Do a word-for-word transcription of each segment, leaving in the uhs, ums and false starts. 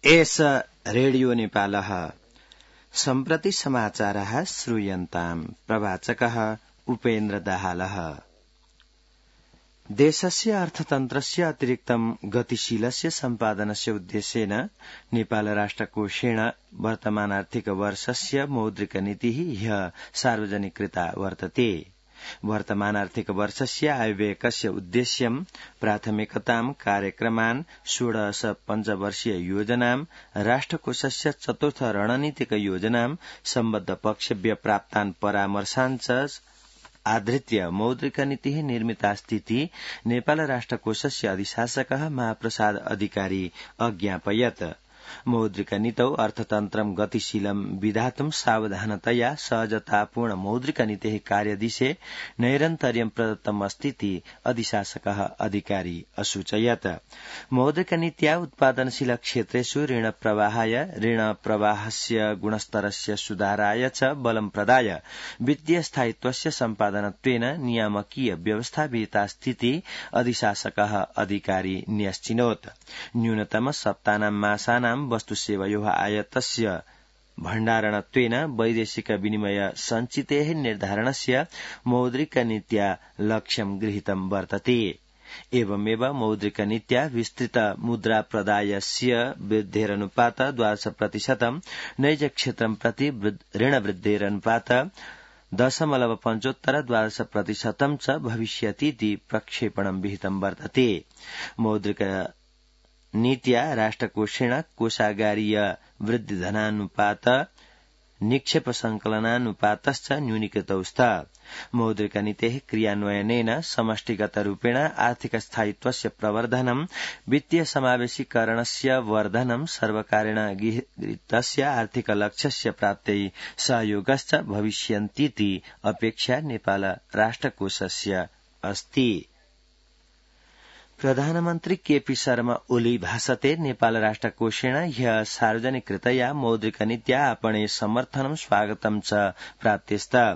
एष रेडियो नेपालः सम्प्रति समाचारः श्रूयन्ताम् प्रवाचकः उपेन्द्र दाहालः। देशस्य अर्थतन्त्रस्य अतिरिक्तं गतिशीलस्य सम्पादनस्य उद्देश्येन नेपाल राष्ट्रकोषेण वर्तमान आर्थिक वर्षस्य मौद्रिक नीतिः ह्यः सार्वजनिकृता वर्तते। वर्तमान आर्थिक वर्षस्य आयव्ययकस्य उद्देश्यं प्राथमिकतां कार्यक्रमान् षोडश पञ्चवर्षीय योजनां राष्ट्रकोषस्य चतुर्थ रणनीतिक योजनां सम्बद्ध पक्षभ्य प्राप्तान् परामर्शान् च आधृत्य मौद्रिक नीतिः निर्मितास्तीति नेपाल राष्ट्रकोषस्य अधिशासकः महाप्रसाद अधिकारी अज्ञापयत्। मौद्रिक नीतौ अर्थतन्त्रं गतिशीलं विधातुं सावधानतया सहजतापूर्ण मौद्रिक नीतेः कार्यदिशे नैरन्तर्यं प्रदत्तम् अस्तीति अधिशासकः अधिकारी असूचयत्। मौद्रिक नीत्या उत्पादनशील क्षेत्रेषु ऋण प्रवाहाय ऋण प्रवाहस्य गुणस्तरस्य सुधाराय च बलं प्रदाय वित्तीय स्थायित्वस्य सम्पादनत्वेन नियामकीय व्यवस्था विहितास्तीति अधिशासकः अधिकारी न्यश्चिनोत्। न्यूनतम सप्तानां मासानां वस्तुसेवयोः आयातस्य भण्डारणत्वेन वैदेशिक विनिमय सञ्चितेः निर्धारणस्य मौद्रिक नीत्या लक्ष्यं गृहीतं वर्तते। एवमेव मौद्रिक नीत्या विस्तृत मुद्रा प्रदायस्य वृद्धेरनुपात द्वादश प्रतिशतम् नैज क्षेत्रं प्रति ऋण वृद्धेरनुपात दशमलव पञ्चोत्तर द्वादश प्रतिशतं च भविष्यतीति प्रक्षेपणं विहितं वर्तते। मौद्रिक नीत्या राष्ट्रकोषेण कोषागारीय वृद्धिधनानुपात निक्षेप संकलनानुपातश्च न्यूनीकृतौ स्तः। मौद्रिक नीतेः क्रियान्वयनेन समष्टिगत रूपेण आर्थिक स्थायित्वस्य प्रवर्धनं वित्तीय समावेशीकरणस्य वर्धनं सर्वकारेण गृहीतस्य आर्थिक लक्ष्यस्य प्राप्त्यै सहयोगश्च भविष्यन्तीति अपेक्षा नेपाल राष्ट्रकोषस्य अस्ति। प्रधानमन्त्री केपी शर्मा ओली भाषते नेपाल राष्ट्रकोषेण ह्यः सार्वजनिकृतया मौद्रिक नीत्या आपणे समर्थनं स्वागतं च प्राप्तेस्तः।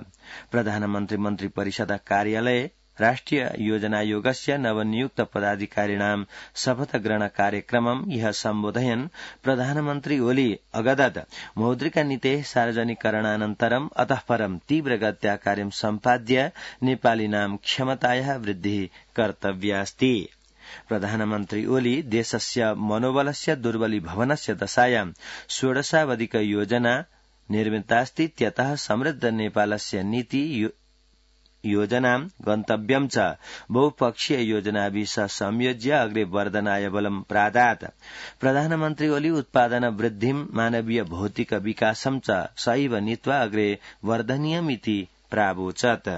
प्रधानमन्त्री मन्त्री परिषद कार्यालये राष्ट्रिय योजनायोगस्य नवनियुक्त पदाधिकारिणां शपथ ग्रहण कार्यक्रमं ह्यः सम्बोधयन् प्रधानमन्त्री ओली अगदत् मौद्रिक नीतेः सार्वजनिकरणानन्तरम् अतः परं तीव्रगत्या कार्यं सम्पाद्य नेपालिनां क्षमतायाः वृद्धिः कर्तव्या अस्ति। प्रधानमन्त्री ओली देशस्य मनोबलस्य दुर्बलीभवनस्य दशायां षोडशावधिक योजना निर्मितास्तीत्यतः समृद्ध नेपालस्य नीति योजनां गन्तव्यं च बहुपक्षीय योजनाभिः सह संयोज्य अग्रे वर्धनाय बलं प्रादात्। प्रधानमन्त्री ओली उत्पादन वृद्धिं मानवीय भौतिक विकासं च सहैव नीत्वा अग्रे वर्धनीयमिति प्रावोचत्।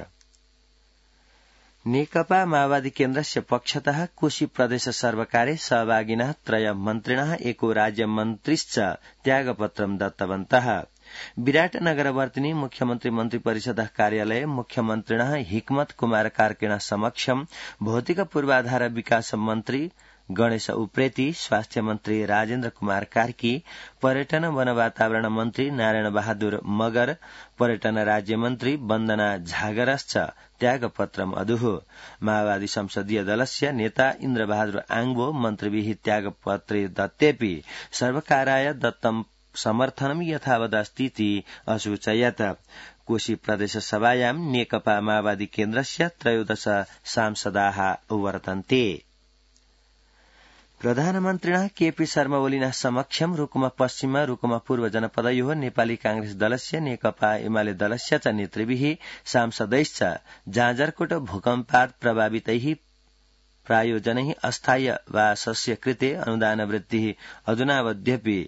नेकपा माओवादी केन्द्रस्य पक्षतः कोशी प्रदेश सर्वकारे सहभागिनः त्रय मन्त्रिणः एको राज्यमन्त्रिश्च त्यागपत्रं दत्तवन्तः। विराटनगरवर्तिनी मुख्यमन्त्री मन्त्रिपरिषदः कार्यालये मुख्यमन्त्रिणः हिक्मत कुमार कार्कीण समक्षं भौतिक पूर्वाधार विकास मन्त्री गणेश उप्रेती, स्वास्थ्य मन्त्री राजेन्द्र कुमार कार्की, पर्यटन वन वातावरण मन्त्री नारायण बहादुर मगर, पर्यटन राज्य मन्त्री वन्दना झागरश्च त्यागपत्रम् अदुः। माओवादी संसदीय दलस्य नेता इन्द्र बहादुर आङ्बो मन्त्रिभिः त्यागपत्रे दत्तेऽपि सर्वकाराय दत्तं समर्थनं यथावदस्तीति असूचयत्। कोशी प्रदेश सभायां नेकपा माओवादी केन्द्रस्य त्रयोदश सांसदाः वर्तन्ते। प्रधानमन्त्रिणः केपी शर्मा ओलिनः समक्षं रुकुम पश्चिम रुकुम पूर्व जनपदयोः नेपाली कांग्रेस दलस्य नेकपा एमाले दलस्य च नेतृभिः सांसदैश्च जाजरकोट भूकम्पात् प्रभावितैः प्रायोजनैः अस्थायी वासस्य कृते अनुदानवृत्तिः अधुनावध्यपि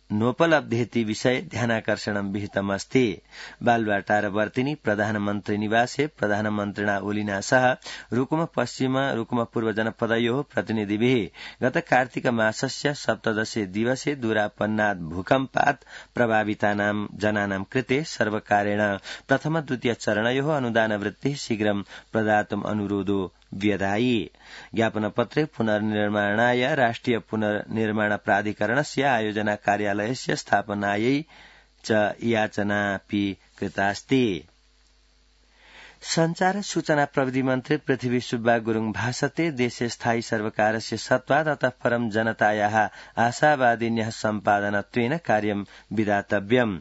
नोपलब्धेति विषये ध्यानाकर्षणं विहितमस्ति। बालुवाटारवर्तिनी प्रधानमन्त्री निवासे प्रधानमन्त्रिणा ओलिना सह रुकुम पश्चिम रुकुम पूर्व जनपदयोः प्रतिनिधिभिः गत कार्तिक मासस्य सप्तदशे दिवसे दूरापन्नात् भूकम्पात् प्रभावितानां जनानां कृते सर्वकारेण प्रथम द्वितीय चरणयोः अनुदानवृत्तिः शीघ्रं प्रदातुम् अनुरोधो व्यधायि। ज्ञापनपत्रे पुनर्निर्माणाय राष्ट्रिय पुनर्निर्माण प्राधिकरणस्य आयोजना कार्यालयस्य स्थापनायै च याचनापि कृतास्ति। संचार सूचना प्रविधि मन्त्री पृथ्वी सुब्बा गुरूङ भाषते देशे स्थायी सर्वकारस्य सत्त्वा ततः परं जनतायाः आशावादिन्यः सम्पादनत्वेन कार्यं विधातव्यम्।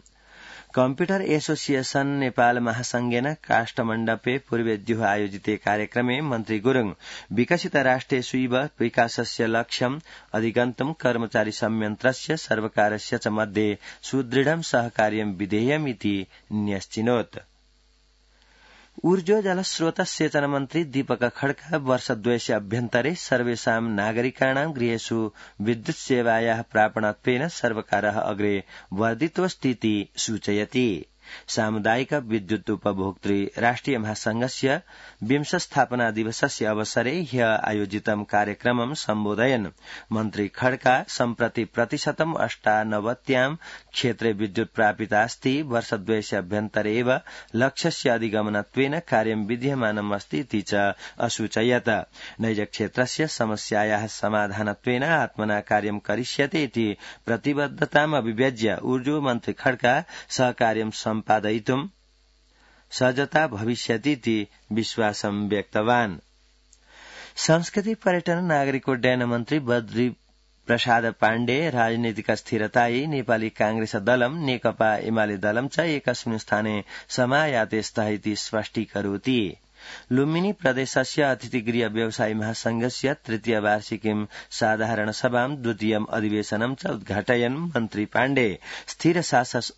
कम्प्यूटर एसोसिएशन नेपाल महासंघेन काष्ठमण्डपे पूर्वेद्युः आयोजिते कार्यक्रमे मन्त्री गुरूङ विकसित राष्ट्रेष्वैव विकासस्य लक्ष्यम् अधिगन्तुम् कर्मचारी संयन्त्रस्य सर्वकारस्य च मध्ये सुदृढं सहकार्यं विधेयमिति न्यश्चिनोत्। ऊर्जो जलस्रोत सेचन मन्त्री दीपक खड्का वर्षद्वयस्य अभ्यन्तरे सर्वेषां नागरिकाणां गृहेषु विद्युत सेवायाः प्रापणत्वेन सर्वकारः अग्रे वर्धितोऽस्तीति सूचयति। सामुदायिक विद्युत उपभोक्तृ राष्ट्रिय महासंघस्य विंश स्थापना दिवसस्य अवसरे ह्य आयोजितं कार्यक्रमं सम्बोधयन् मन्त्री खड्का सम्प्रति प्रतिशतम् अष्टानवत्यां क्षेत्रे विद्युत प्रापितास्ति वर्षद्वयस्य अभ्यन्तरे एव लक्ष्यस्य अधिगमनत्वेन कार्यं विद्यमानम् अस्ति इति च असूचयत्। नैज क्षेत्रस्य समस्यायाः समाधानत्वेन आत्मना कार्यं करिष्यते इति प्रतिबद्धताम् अभिव्यज्य ऊर्जो मन्त्री खड्का सहकार्यं सम्पादयितुं सज्जता भविष्यतीति विश्वासं व्यक्तवान्। संस्कृति पर्यटन नागरिक उड्डयन मन्त्री बद्री प्रसाद पाण्डे राजनीतिक स्थिरतायै नेपाली कांग्रेस दलं नेकपा एमाले दलं च एकस्मिन् स्थाने समायाते स्तः इति स्पष्टीकरोति। लुम्बिनी प्रदेशस्य अतिथिगृह व्यवसायी महासंघस्य तृतीय वार्षिकीं साधारण सभां द्वितीयम् अधिवेशनं च उद्घाटयन् मन्त्री पाण्डे स्थिर शासन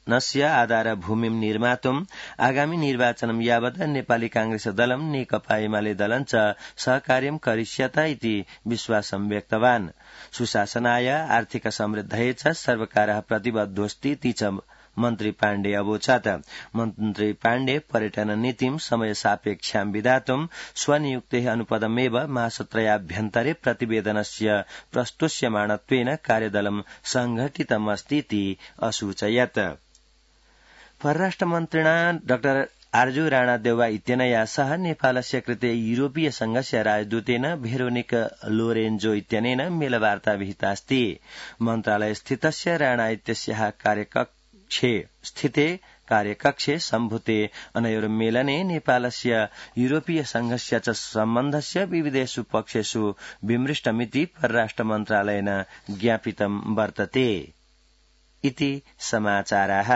नस्य आधारभूमिं निर्मातुम् आगामी निर्वाचनं यावत् नेपाली कांग्रेस दलं नेकपा एमाले दलं च सहकार्यं करिष्यत इति विश्वासं व्यक्तवान्। सुशासनाय आर्थिक समृद्धये च सर्वकारः प्रतिबद्धोऽस्ति इति च मन्त्री पाण्डे अवोचत्। मन्त्री पाण्डे पर्यटन नीतिं समय सापेक्षां विधातुं स्वनियुक्तेः अनुपदमेव मासत्रयाभ्यन्तरे प्रतिवेदनस्य प्रस्तुष्यमाणत्वेन कार्यदलं संघटितम् अस्ति इति असूचयत्। परराष्ट्रमन्त्रिणा डाक्टर आर्जु राणा देउवा इत्यनया सह नेपालस्य कृते यूरोपीय संघस्य राजदूतेन भेरोनिक लोरेन्जो इत्यनेन मेलवार्ता विहितास्ति। मन्त्रालय स्थितस्य राणा इत्यस्याः कार्यकक्षे स्थिते कार्यकक्षे सम्भूते अनयोर्मेलने नेपालस्य यूरोपीय संघस्य च सम्बन्धस्य विविधेषु पक्षेषु विमृष्टमिति परराष्ट्र मन्त्रालयेन ज्ञापितं वर्तते इति समाचाराः।